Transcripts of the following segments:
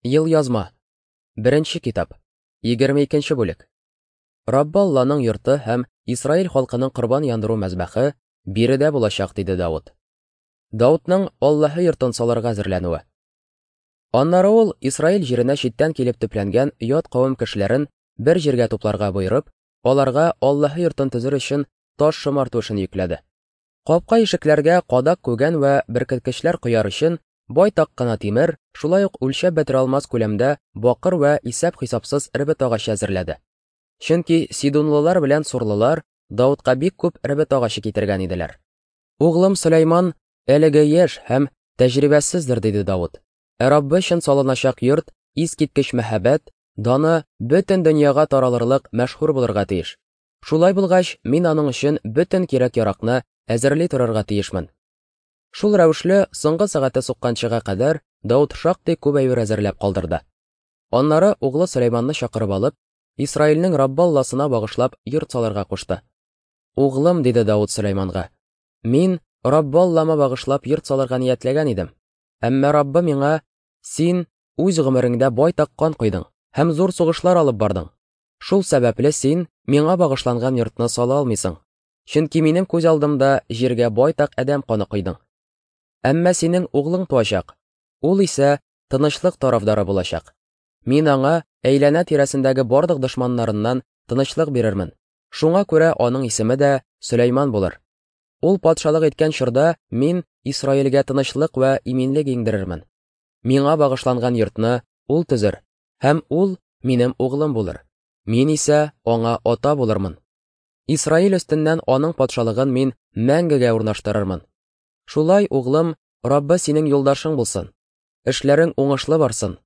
Елъязма. Беренче китап. 22 бүлек. Раббы Алланың йорты һәм Исраил халкының корбан яндыру мәзбәхе биредә булачак, диде Давыт. Давытның Аллаһы йортын салырга әзерләнүе. Аннары ул Исраил җиренә читтән килеп төпләнгән ят кавем кешеләрен бер җиргә тупларга боерып, аларга Аллаһы йортын төзер өчен таш шомарту эшен йөкләде. Капка-ишекләргә кадак-күгән вә беркеткечләр кояр өчен байтак кына тимер, шулай ук үлчәп бетерә алмас күләмдә бакыр вә исәп-хисапсыз эрбет агачы әзерләде. Чөнки сидунлылар белән сурлылар Давытка бик күп эрбет агачы китергән иделәр. Углым Сөләйман әлеге яшь һәм тәҗрибәсездер, диде Давыт. Ә Раббы өчен салыначак йорт искиткеч мәһабәт, даны бөтен дөньяга таралырлык мәшһүр булырга тиеш. Шулай булгач, мин аның өчен бөтен кирәк-яракны әзерли торырга тиешмен. Шул рәвешле, соңгы сәгате сукканчыга кадәр Давыт шактый күп әйбер әзерләп калдырды. Аннары углы Сөләйманны чакырып алып, Исраилнең Раббы Алласына багышлап йорт салырга кушты. Углым, диде Давыт Сөләйманга, мин Раббы Аллама багышлап йорт салырга ниятләгән идем. Әмма Раббы миңа, син үз гомереңдә байтак кан койдың һәм зур сугышлар алып бардың. Шул сәбәпле син миңа багышланган йортны сала алмыйсың. Чөнки минем күз алдымда җиргә байтак адәм каны койдың. Әмма синең углың туачак. Ул исә тынычлык тарафдары булачак. Мин аңа әйләнә тирәсендәге барлык дошманнарыннан тынычлык бирермен. Шуңа күрә аның исеме дә Сөләйман булыр. Ул патшалык иткән чорда мин Исраилгә тынычлык вә иминлек иңдерермен. Миңа багышланган йортны ул төзер, һәм ул минем углым булыр. Мин исә аңа ата булырмын. Исраил өстеннән аның патшалыгын мин мәңгегә урнаштырырмын. Шулай, углым, Раббы синең юлдашың булсын. Эшләрең уңышлы барсын.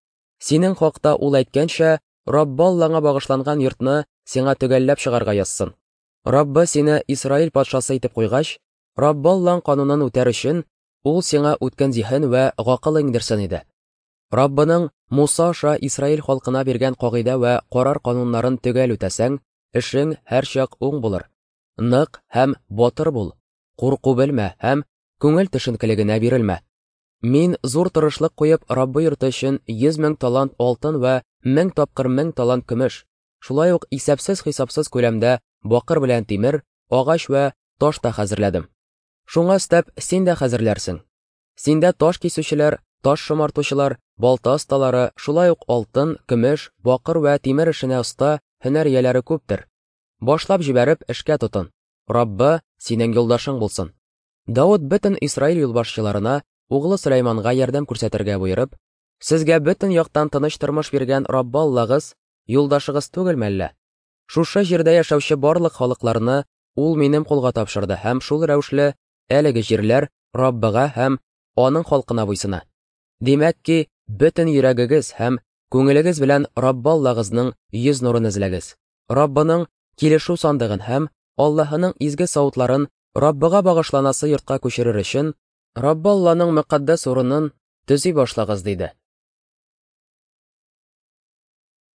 Синең хакта ул әйткәнчә, Раббы Аллаңа багышланган йортны сиңа төгәлләп чыгарга язсын. Раббы сине Исраил патшасы итеп куйгач, Раббы Аллаң канунын үтәр өчен, ул сиңа үткен зиһен вә гакыл иңдерсен иде. Раббының Муса аша Исраил халкына биргән кагыйдә вә карар-кануннарын төгәл үтәсәң, эшең һәрчак уң булыр. Нык һәм батыр бул, курку белмә һәм күңел төшенкелегенә бирелмә. Мин зур тырышлык куеп Раббы йорты өчен 100 мең талант алтын вә 1000 тапкыр 1000 талант көмеш, шулай ук исәпсез-хисапсыз күләмдә бакыр белән тимер, агач вә таш та хәзерләдем. Шуңа өстәп, син дә хәзерләрсең. Синдә таш кисүчеләр, таш шомартучылар, балта осталары, шулай ук алтын, көмеш, бакыр вә тимер эшенә оста һөнәр ияләре күптер. Башлап җибәреп, эшкә тотын. Раббы синең юлдашың булсын. Давыт бөтен Исраил юлбашчыларына углы Сөләйманга ярдәм күрсәтергә боерып, Сезгә бөтен яктан тыныч тормыш биргән Раббы Аллагыз юлдашыгыз түгелме әллә? Шушы җирдә яшәүче барлык халыкларны ул минем кулга тапшырды һәм шул рәвешле әлеге җирләр Раббыга һәм аның халкына буйсына. Димәк ки, бөтен йөрәгегез һәм күңелегез белән Раббы Аллагызның йөз нурын эзләгез. Раббының килешү сандыгын һәм Аллаһының изге савытларын Раббыга багышланасы йортка күчерер өчен, Раббы Алланың мөкатдәс урынын төзи башлагыз, диде.